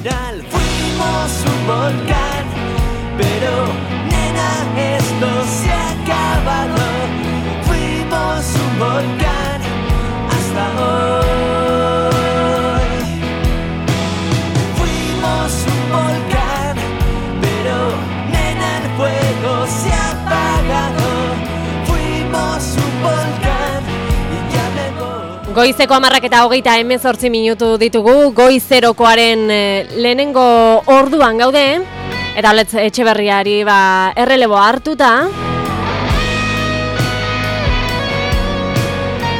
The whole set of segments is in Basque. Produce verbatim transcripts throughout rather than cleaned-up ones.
final fuimos un volcán, pero nena, esto se ha acabado. Fuimos un volcán hasta hoy. Fuimos un volcán, pero nena, el fuego se ha apagado. Fuimos un volcán y ya me voy. Goizeko hamarrak eta hogeita hemezortzi minutu ditugu, goizerokoaren eh, lehenengo orduan gaude, eta Oletz Etxeberriari ba, errelebo hartuta.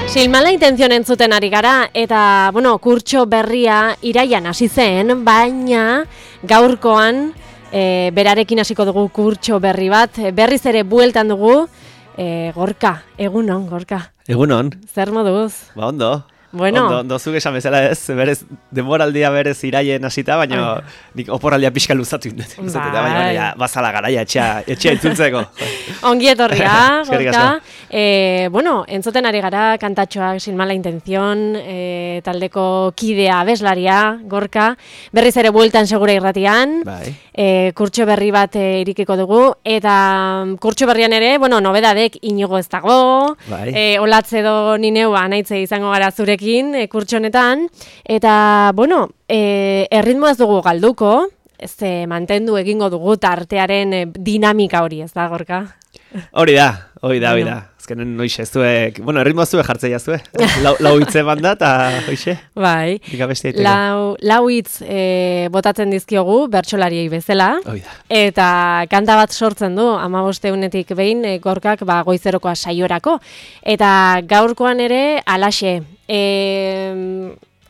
Silmala intenzion entzuten ari gara, eta, bueno, kurtso berria iraian hasi zen, baina gaurkoan e, berarekin hasiko dugu kurtso berri bat, berriz ere bueltan dugu, e, Gorka, egunon, Gorka. Egunon. Zer moduz? Ba, ondo. Bueno. Ondo, ondo zuk esan bezala ez, berez, denboraldia berez iraien hasita, baina nik oporaldia pixka luzatu indut. Bai. Baina ja, bazala garaia etxea, etxea itzultzeko. Ongi etorria, Eskerrik Gorka. asko. E, bueno, entzuten ari gara kantatxoak Sin mala intención, e, taldeko kidea abeslaria, Gorka. Berriz ere bueltan segura irratian. Bai. E, kurtso berri bat e, irikiko dugu, eta kurtso berrian ere, bueno, nobedadek Inigo ez dago, Bai. e, Olatz edo ni neu anaitze izango gara zurekin, e, kurtso honetan, eta, bueno, e, erritmo ez dugu galduko, ez e, mantendu egingo dugu tartearen e, dinamika hori, ez da, Gorka? Hori da, hori da, hori da. Azkenen noixe, zuek, bueno, erritmoa zuek jartzeia zue. Lau, lau hitze banda, eta hoxe. Bai, lau, lau hitz e, botatzen dizkiogu, bertsolariei bezala. Hori da. Eta kanta bat sortzen du, amabosteunetik behin, e, Gorkak ba, goizerokoa saiorako. Eta gaurkoan ere, alaxe. E,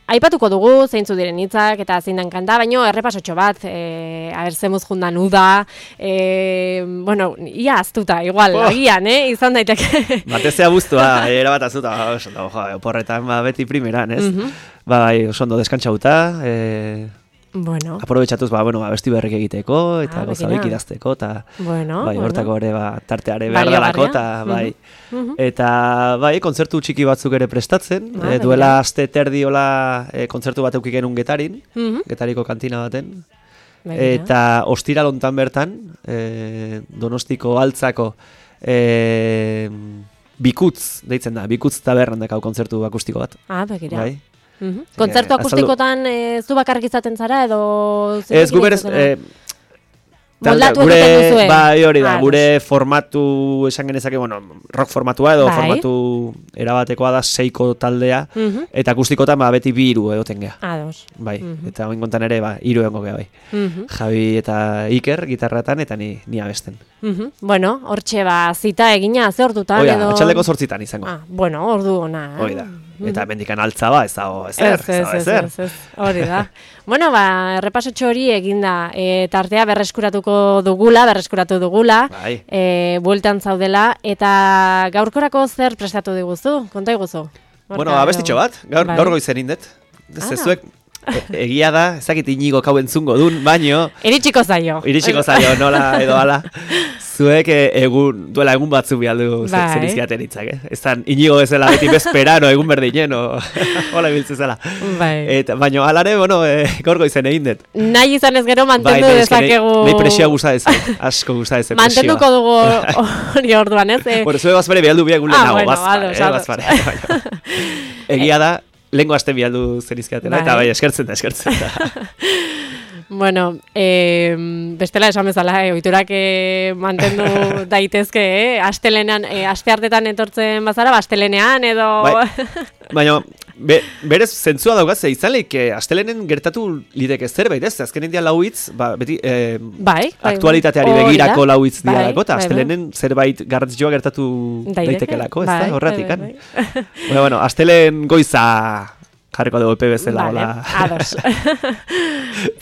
Aipatuko dugu, zeintzu diren hitzak eta zein den kanta, baino errepasotxo bat, e, aber zemuz jundan uda, e, bueno, ia aztuta, igual, oh. Agian, eh, izan daiteke. Batezea buztua, era bat aztuta, oso, jo, oporretan, ba, beti primeran, ez? Mm -hmm. Ba, oso ondo deskantxauta, e, bueno. aprobetxatuz, ba, bueno, ba, besti berrik egiteko, eta ah, gozabeik idazteko, eta bueno, bai, bueno. hortako ere, ba, tarteare behar dalako, eta bai. Mm -hmm. Eta bai, kontzertu txiki batzuk ere prestatzen, ah, e, duela aste terdiola e, kontzertu bat eukik genuen Getarin, mm -hmm. Getariko kantina baten, Baina. eta ostiral hontan bertan, e, Donostiko altzako e, Bikutz, deitzen da, Bikutz tabernan dakau kontzertu akustiko bat. Ah, begira. Bai. Mm-hmm. Kontzertu akustikotan e, zu bakarrik izaten zara edo... Ez, gu berez... E, moldatu gure, egiten duzue? Bai, hori da, ah, gure formatu, esan genezake, bueno, rock formatua edo bai. formatu erabatekoa da seiko taldea, mm-hmm. eta akustikotan ba, beti bi hiru egoten geha. Ados. Bai, mm-hmm. eta oin kontan ere, ba, hiru egongo geha, bai. Mm-hmm. Javi eta Iker, gitarratan, eta ni, ni abesten. Mm-hmm. Bueno, hortxe ba, zita egina, ze ordutan Oida, edo... atxaldeko zortzitan izango. Ah, bueno, ordu ona. Hori da. Eta mendikan altza ba, ez dago, ezer, ez, ez, ez, ez, ez, hori da. Bueno, ba, errepasotxo hori eginda, e, tartea berreskuratuko dugula, berreskuratu dugula, bai. e, bueltan zaudela, eta gaurkorako zer prestatu diguzu, konta iguzu? Bueno, abestitxo bat, gaur, bai. gaur goizen indet. Zezuek, e, egia da, ezakit Inigo kau entzungo dun, baino... Iritsiko zaio. Iritsiko zaio, nola edo ala. Zuek egun, duela egun batzu bialdu bai. zen izkiaten hitzak, eh? Ez dan Inigo bezala beti bezperano egun berdinen, o hola ibiltzen zela. Bai. Eta, baino, alare, bueno, e, gaur goizen egin dut. Nahi izan ez gero mantendu bai, dezakegu... Nahi presioa gusta ez, asko gusta ez presioa. Mantenduko dugu hori orduan, ez? Eh? Bueno, zue bazpare bialdu biak gulen ah, nago, bueno, bazpare, ados, eh, ados. bazpare. Egia da, lehenko aste bialdu zen izkiatela, eta bai, eskertzen da, eskertzen da. Bueno, eh, bestela esan bezala, eh, ohiturak eh, mantendu daitezke, eh? Astelenean, eh, aste hartetan etortzen bazara, astelenean edo... Bai, baina, be, berez zentzua daugaz, izan lehik, eh, astelenen gertatu lideke zerbait, ez? Azken india lau hitz, ba, beti, eh, bai, bai, aktualitateari bai. begirako lau hitz dira bai, dako, eta bai, astelenen bai. zerbait garrantzitsua gertatu daitekelako, ez bai, da, horretik, bai, bai, bai. Bueno, bueno, astelen goiza... jarriko dugu epe bezala. Vale, ados.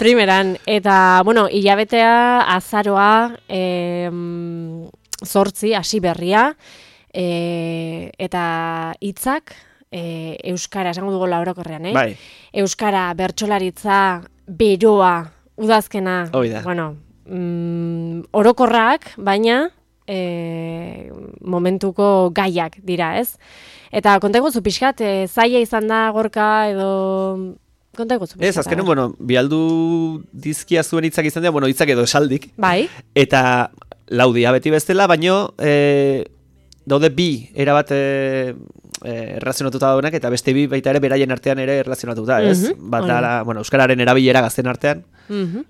Primeran, eta, bueno, hilabetea, azaroa, e, zortzi, hasi berria, e, eta hitzak, e, euskara, esango dugu orokorrean, eh? Bai. Euskara, bertsolaritza, beroa, udazkena, Oida. bueno, mm, orokorrak, baina, e, momentuko gaiak dira, ez? Eta konta eguzu pixkat, e, zaila izan da Gorka edo konta eguzu. Ez, azkenen, bueno, bialdu dizkia zuen hitzak izan dira, bueno, hitzak edo esaldik. Bai. Eta laudia beti bestela, baino e, daude bi, erabat e, e, erlazionatuta daudenak, eta beste bi baita ere beraien artean ere erlazionatuta, ez? Mhm, Bat hori. da, bueno, euskararen erabilera gazten artean. Mhm.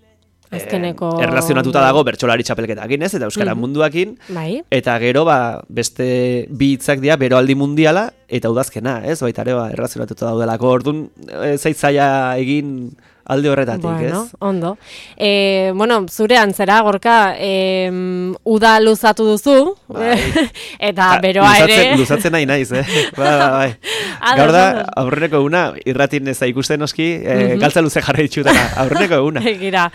Azkeneko... Eh, erlazionatuta dago bertsolari txapelketakin, ez? Eta euskara Mhm. munduakin. Bai. Eta gero, ba, beste bi hitzak dira beroaldi mundiala eta udazkena, ez? Baita ere, ba, erlazionatuta daudelako. Orduan, e, zaitzaia egin alde horretatik, Bueno, ez? ondo. E, bueno, zure antzera, Gorka, e, uda luzatu duzu, Bai. eta Ta- beroa luzatzen, ere... Luzatzen nahi naiz, eh? Ba, ba, bai. Ados, Gaur da, ados. aurreneko eguna, irratin ez da ikusten noski, eh, Mhm. galtza luze jarri ditxutena, aurreneko eguna. Egira,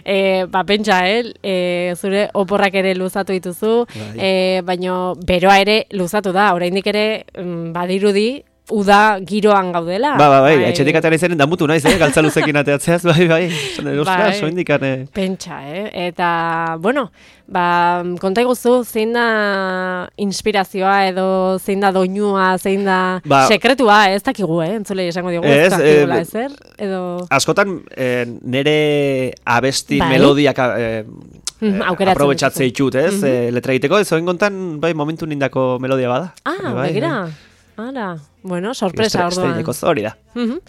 e, ba, pentsa, eh? E, zure oporrak ere luzatu dituzu, Bai. e, baino beroa ere luzatu da, oraindik ere mm, badirudi uda giroan gaudela. Ba, ba, bai, etxetik atera izanen damutu naiz, eh? Galtza luzekin ateatzeaz, bai, bai. Zene, ostras, Bai. soindikan, eh. Pentsa, eh? Eta, bueno, ba, konta iguzu, zein da inspirazioa edo zein da doinua, zein da Ba- sekretua, ez dakigu, eh? Entzulei esango diogu, ez Ez, dakigula eh, ezer, edo... Askotan, eh, nere abesti Bai. melodiak eh, Mhm, eh, aukeratzen aprobetxatze dituzu. ditut, ez? Mhm. Eh, letra egiteko, ez oin kontan, bai, momentu nindako melodia bada. Ah, bai, begira. Ara, bueno, sorpresa orduan. Estreineko hori da. Mhm.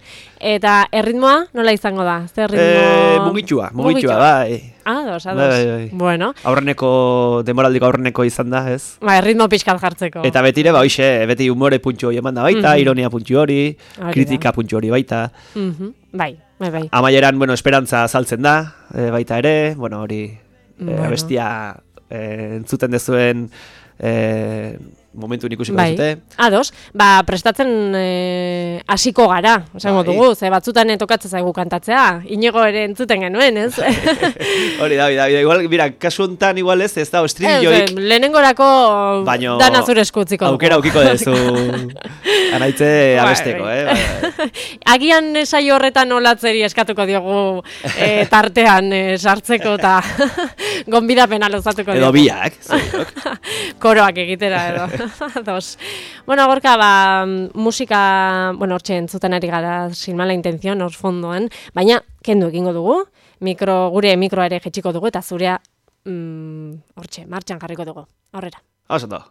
Eta erritmoa nola izango da? Zer Eh, ritmo? mugitxua, mugitxua, bai. Ados, ados. Bai, bai, bai. Bueno, Aurreneko, demoraldiko aurreneko izan da, ez? ba, erritmo pixkat jartzeko. Eta betire, ba, hoxe, beti humore puntxu hori eman da baita, Mhm. ironia puntxu hori, Hori kritika puntxu hori baita. Mhm, Bai, bai, bai. Amaieran, bueno, esperantza azaltzen da, e, baita ere, bueno, hori, e, Bueno. abestia e, entzuten dezuen e, momentu ikusiko Bai, dute. ados, ba, prestatzen eh, hasiko gara, esango Bai. dugu, ze batzutan tokatzen zaigu kantatzea, inigo ere entzuten genuen, ez? Hori da, hori da, igual, mira, kasu hontan igual ez, ez da, Ez, estribilloik, lehenengorako Baino dana zure eskutziko dugu. aukera aukiko dezu anaitze Bai, abesteko, bai. eh? Bai. Agian saio horretan olatzeri eskatuko diogu eh, tartean eh, sartzeko eta gonbidapena luzatuko Edo diogu. biak, zuriok. Koroak egitera edo. Dos. Bueno, Gorka, ba, musika, bueno, hortxe entzuten ari gara sin mala intención, hor fondoan, baina kendu egingo dugu, mikro, gure mikroa ere jetxiko dugu, eta zurea mm, hortxe, martxan jarriko dugu. Aurrera. Oso ondo.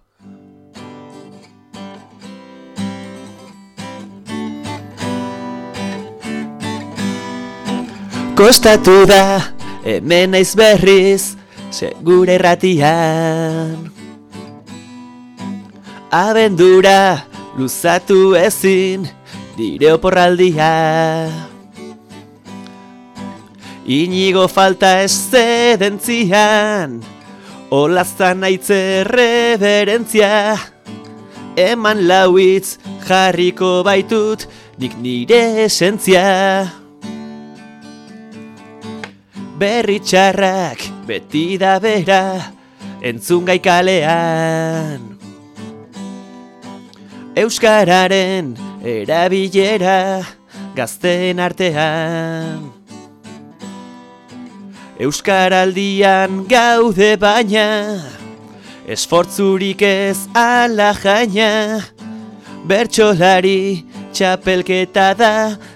Kostatu da, hemen naiz berriz, segure erratian. Abendura, luzatu ezin, nire oporraldia. Inigo falta eszedentzian, olazan aitze reverentzia. Eman lauitz jarriko baitut, nik nire esentzia. Berri txarrak beti da bera, entzun gai kalean. Euskararen erabilera gazteen artean. Euskaraldian gaude baina, esfortzurik ez ala jaina. Bertsolari txapelketa da,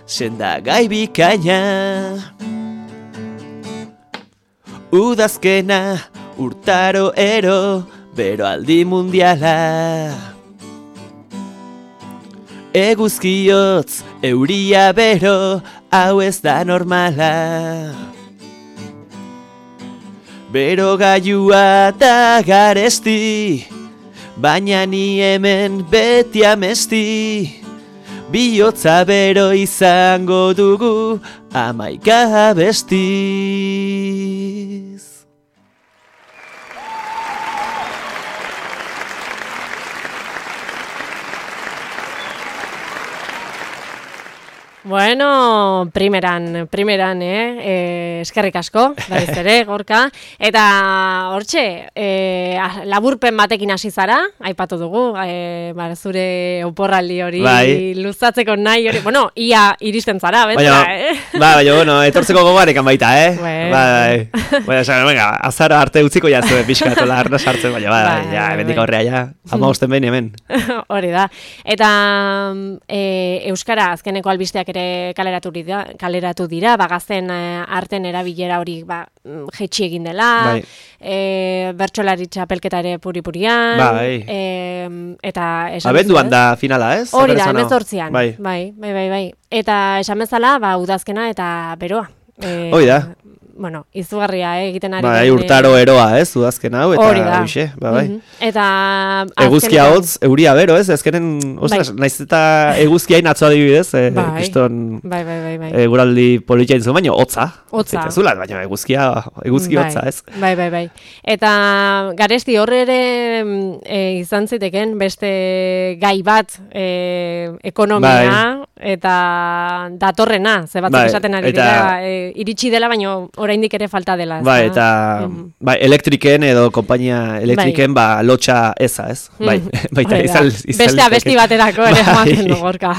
sendagai bikaina. Udazkena, urtaro ero, beroaldi mundiala. Eguzkiotz, euria bero, hau ez da normala. Bero gailua da garesti, baina ni hemen beti amesti. Bihotza bero izango dugu, amaika bestiz. Bueno, primeran, primeran, eh? eh eskerrik asko, berriz ere, Gorka. Eta hortxe, eh, laburpen batekin hasi zara, aipatu dugu, eh, ba, zure oporraldi hori Bai. luzatzeko nahi hori. Bueno, ia iristen zara, Baina, bentsa, eh? ba, baina, bueno, etortzeko gogoarekan baita, eh? Bueno. Bai, bai. Baina, esan, venga, azara arte utziko jazue pixka etola arna sartzen, baina, bai, Bai, bai, ja, bai, bendik bai. aurrea, ja, ama usten behin hemen. Hori da. Eta e, Euskara azkeneko albisteak ere ere kaleratu dira, kaleratu dira, ba gazten eh, arten erabilera hori ba jetxi egin dela. Bai. Eh, bertsolari txapelketa ere puri-purian. Bai. Eh, eta esan Abenduan duzu, ez? da finala, ez? Hori da, Oker ez banago. hemezortzian. Bai. bai, bai, bai, bai. Eta esan bezala, ba udazkena eta beroa. Eh, Hoi da. Bueno, izugarria eh, egiten ari. Bai, den, urtaro eroa, ez? Udazken hau eta Hori da. hoxe, ba, bai. Mhm. Eta Eguzkia azkenean- hotz, euria bero, ez? Ezkenen, ostras, naiz eta eguzkiain atzo adibidez, eh, Bai. kriston Bai, bai, bai, bai. eguraldi politia inzu, baina hotza. Hotza. Eta zula, baina eguzkia, eguzki Bai, hotza, ez? Bai, bai, bai. Eta garesti horre ere e, izan ziteken beste gai bat e, ekonomia eta datorrena, ze batzuk Bai, esaten ari eta- dira, e, iritsi dela, baina oraindik ere falta dela. ez Bai, da? eta Mhm. bai, elektriken edo konpainia elektriken ba lotxa eza, ez? Bai, Mhm. baita Hori da. izan izan Beste liteke. abesti baterako ere Bai. ematen du gorka.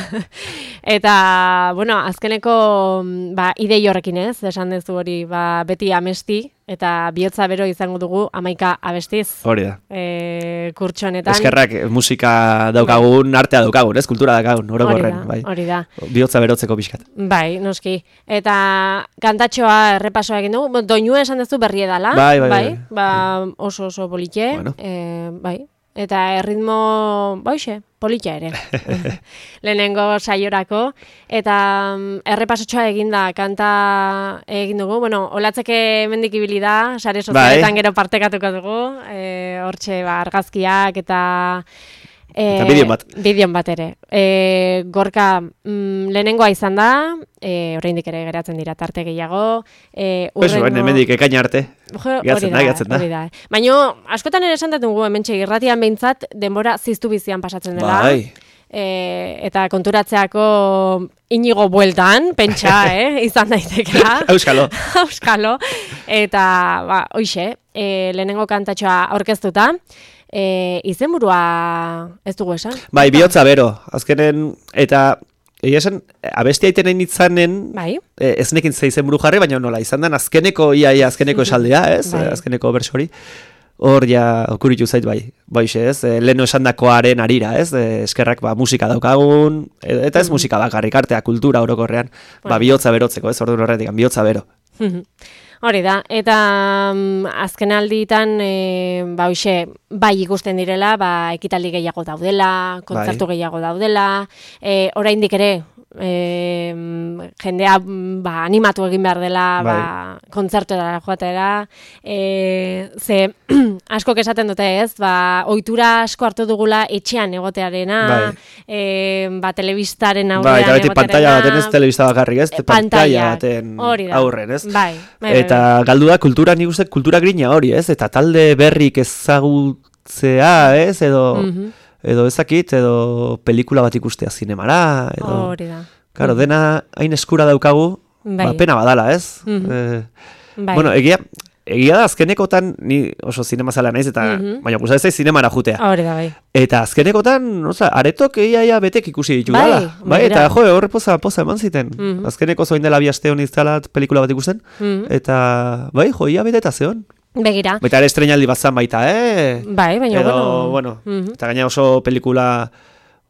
Eta, bueno, azkeneko ba, idei horrekin ez, esan duzu hori ba, beti amesti, eta bihotza bero izango dugu amaika abestiz. Hori da. E, kurtso honetan. Eskerrak eh, musika daukagun, artea daukagun, ez? Kultura daukagun, Hori orokorren, da, bai. hori da. Bihotza berotzeko pixkat. Bai, noski. Eta kantatxoa errepasoa egin dugu. Bo, doinua esan duzu berri edala. Bai, bai, bai. Ba, oso oso politxe. Bueno. Eh, bai. Eta erritmo, baixe, politxa ere. Lehenengo saiorako. Eta mm, errepasotxoa eginda kanta egin dugu. Bueno, olatzeke mendik ibili da, sare sozialetan Bai. gero partekatuko dugu. Eh, hortxe, ba, argazkiak eta... Eta bideon bat. Bideon bat ere. E, gorka mm, lehenengoa izan da, e, oraindik ere geratzen dira tarte gehiago. E, Pues, baina hemendik ekaina arte. Jo, Geratzen hori da, geratzen da. hori da. Baina askotan ere esan dugu hementxe irratian behintzat denbora ziztu bizian pasatzen dela. Bai. E, eta konturatzeako inigo bueltan, pentsa, eh, izan daitekela. Euskalo. Euskalo. Eta, ba, hoixe, e, lehenengo kantatxoa aurkeztuta, e, izenburua ez dugu esan? Bai, bihotza bero. Azkenen, eta egia esan, abesti aiten nahi nitzanen, Bai. eh, ez nekin zeizen buru jarri, baina nola, izan den azkeneko, ia, ia azkeneko esaldea, ez? Bai. Azkeneko berso hori. Hor ja okuritu zait bai, baixe ez, e, leheno esandakoaren arira ez, e, eskerrak ba, musika daukagun, e, eta ez musika bakarrik artea, kultura orokorrean, ba, Bai. bihotza berotzeko ez, orduan horretik, bihotza bero. Hori da, eta mm, azken alditan, e, ba, hoxe, bai ikusten direla, ba, ekitaldi gehiago daudela, kontzertu gehiago daudela, e, oraindik ere, e, jendea ba, animatu egin behar dela Bai. ba, kontzertuetara joatera, e, ze askok esaten dute ez, ba, ohitura asko hartu dugula etxean egotearena, Bai. e, ba, telebistaren Ba, aurrean eta beti pantalla baten ez, telebista bakarrik ez, Eh, pantalla pantaiak, baten hori da. aurren ez. Bai, bai, Eta galdu da kultura, nik uste kultura grina hori ez, eta talde berrik ezagutzea ez, edo... Mhm. edo ezakit, edo pelikula bat ikustea zinemara, edo... Hori da. Claro, dena hain eskura daukagu, Bai. ba, pena badala, ez? Mhm. Eh, Bai. Bueno, egia, egia da azkenekotan, ni oso zinemazalea naiz, eta, Mhm. baina gustatzen zait zinemara jutea. Hori da, bai. Eta azkenekotan, oza, aretok egia ia betek ikusi ditu Bai, dala. Bai, begira. eta jo, horre poza, poza eman ziten. Mhm. Azkeneko zoin dela bi aste honi iztala pelikula bat ikusten, Mhm. eta, bai, jo, ia bete eta zeon. Begira. Baita ere estreinaldi bat zan baita, eh? Bai, baina, Edo, bueno... bueno, Mhm. eta gaina oso pelikula,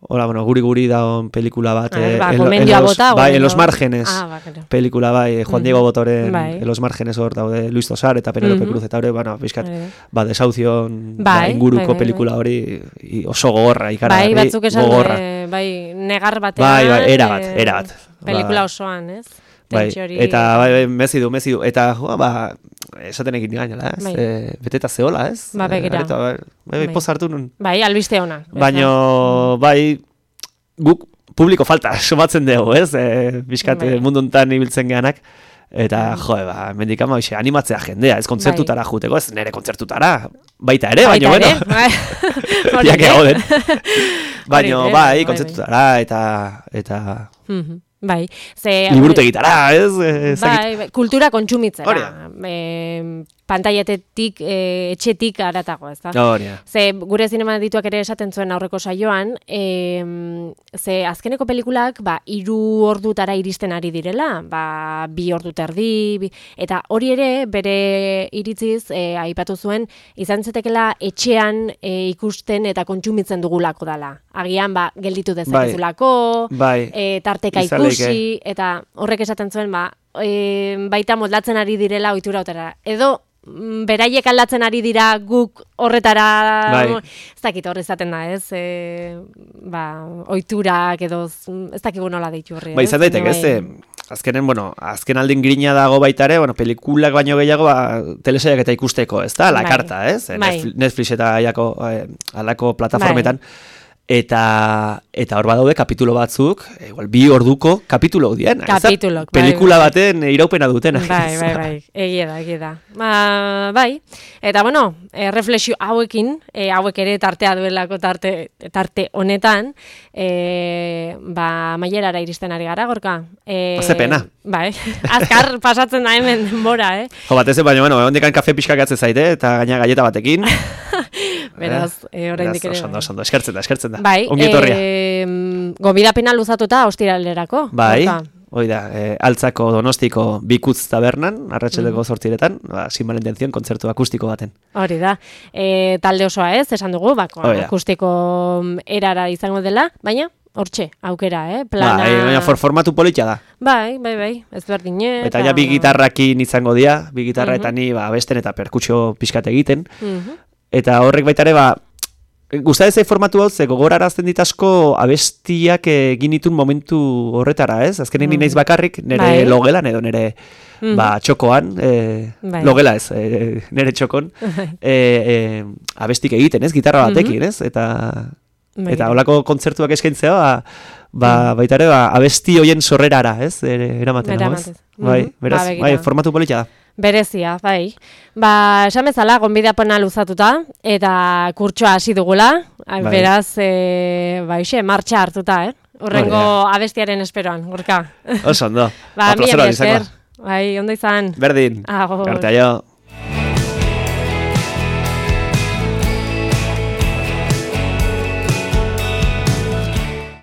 hola, bueno, guri-guri daun pelikula bat. A ver, eh, ba, en lo- en gomendioa los- bota, Bai, en gomendio- los márgenes. Ah, ba, claro. Pelikula bai, Juan Mhm. Diego Botoren, Bai. en los márgenes hor daude, Luis Tosar eta Penelope Mhm. Cruz, eta hori, bueno, bizkat, Hori da. ba, desauzion Bai, ba, inguruko bai, bai, pelikula hori i- oso gogorra, ikaragarri, Bai, batzuk esan, gogorra. eh, bai, negar batean... Bai, bai, erabat, eh, erabat. Pelikula Ba, osoan, ez? Bai, Tentsio hori- eta bai, bai, mezi du, mezi du, eta joa, ba, esaten egin gainela, ez? Bai. E, beteta zeola, ez? Ba, begira. Eh, areta, bai, bai, bai, Bai. poz hartu nun. Bai, albiste ona. Baina, bai, guk publiko falta somatzen dugu, ez? E, bizkat Bai. eh, mundu hontan ibiltzen geanak. Eta, jo, ba, mendik ama, hoxe, animatzea jendea, ez kontzertutara juteko, ez nire kontzertutara, baita ere, baina, bueno, Hori jak ere. egoden. Baina, Hori ere, bai, bai, kontzertutara, eta, eta, Mhm. Bai, ze... liburutegitara, ez? Eh, ez dakit. Bai, bai, kultura kontsumitzera. Hori da. E, pantailetetik, e, etxetik aratago, ez da? Hori da. Ze gure zinema dituak ere esaten zuen aurreko saioan, e, ze azkeneko pelikulak ba, hiru ordutara iristen ari direla, ba, bi ordu terdi, bi, eta hori ere bere iritziz e, aipatu zuen, izan zetekela etxean e, ikusten eta kontsumitzen dugulako dala. Agian, ba, gelditu dezakezulako, Bai. e, tarteka Izan ikusi, eta horrek esaten zuen, ba, e, baita moldatzen ari direla ohitura hotera. Edo, beraiek aldatzen ari dira guk horretara, bai. ez dakit horre izaten da, ez? E, ba, ohiturak edo, ez dakigu nola deitu horri. Ba, izan daiteke, ez? E, azkenen, bueno, azken aldin grina dago baita ere, bueno, pelikulak baino gehiago, ba, telesaiak eta ikusteko, ez da? La bai. karta, ez? Bai. Netflix eta aiako, eh, alako plataformetan. Bai. Eta eta hor badaude kapitulo batzuk, igual bi orduko kapitulo dien. Kapitulok, bai. Pelikula baten iraupena dutena. Bai, bai, bai. Egia da, egia da. Ba, bai. Eta bueno, e, reflexio hauekin, e, hauek ere tartea duelako tarte tarte honetan, e, ba mailerara iristen ari gara, Gorka. Eh, Ze pena. Bai. Azkar pasatzen da hemen denbora, eh. Jo, batez baina bueno, hondikan kafe pixka gatze zaite eta gaina galleta batekin. Beraz, eh, oraindik ere. Oso ondo, eskertzen da, eskertzen da. Bai, ongi etorria. E, gomidapena luzatuta ostiralerako. Bai, Gorka. hoi da, e, Altzako Donostiko Bikutz tabernan, arratsaldeko zortziretan, ba, sin mala intención, kontzertu akustiko baten. Hori da. E, talde osoa ez, esan dugu, bako, Hoi da. akustiko erara izango dela, baina hortxe, aukera, eh? Plana... Bai, baina for, formatu politia da. Bai, bai, bai, ez berdine. Eta ja bi gitarrakin izango dira, bi gitarra Mhm. eta ni ba, abesten eta perkutsio pixkat egiten. Mhm. Eta horrek baita ere, ba, gustatzen zait formatu hau, ze gogorarazten dit asko abestiak egin ditun momentu horretara, ez? Azkenen ni naiz bakarrik, nire Bai. logelan edo nire Mhm. ba, txokoan, e, Bai. logela ez, e, nire txokon, e, e, abestik egiten, ez? Gitarra batekin, ez? Eta... Bai. Eta holako kontzertuak eskaintzea, ba, ba, baita ere, ba, abesti hoien sorrerara, ez? E, eramaten, hau, ez? Eramatez. Bai, Mhm. beraz, Ba, begira. bai, formatu politia da. Berezia, bai. Ba, esan bezala, gonbidapena luzatuta, eta kurtsoa hasi dugula, Bai. beraz, e, ba, ixe, martxa hartuta, eh? Horrengo Hori abestiaren esperoan, Gorka. Oso ondo. Ba, Ba, plazera mila izango. esker. Bai, ondo izan. Berdin. Agur. Arte aio.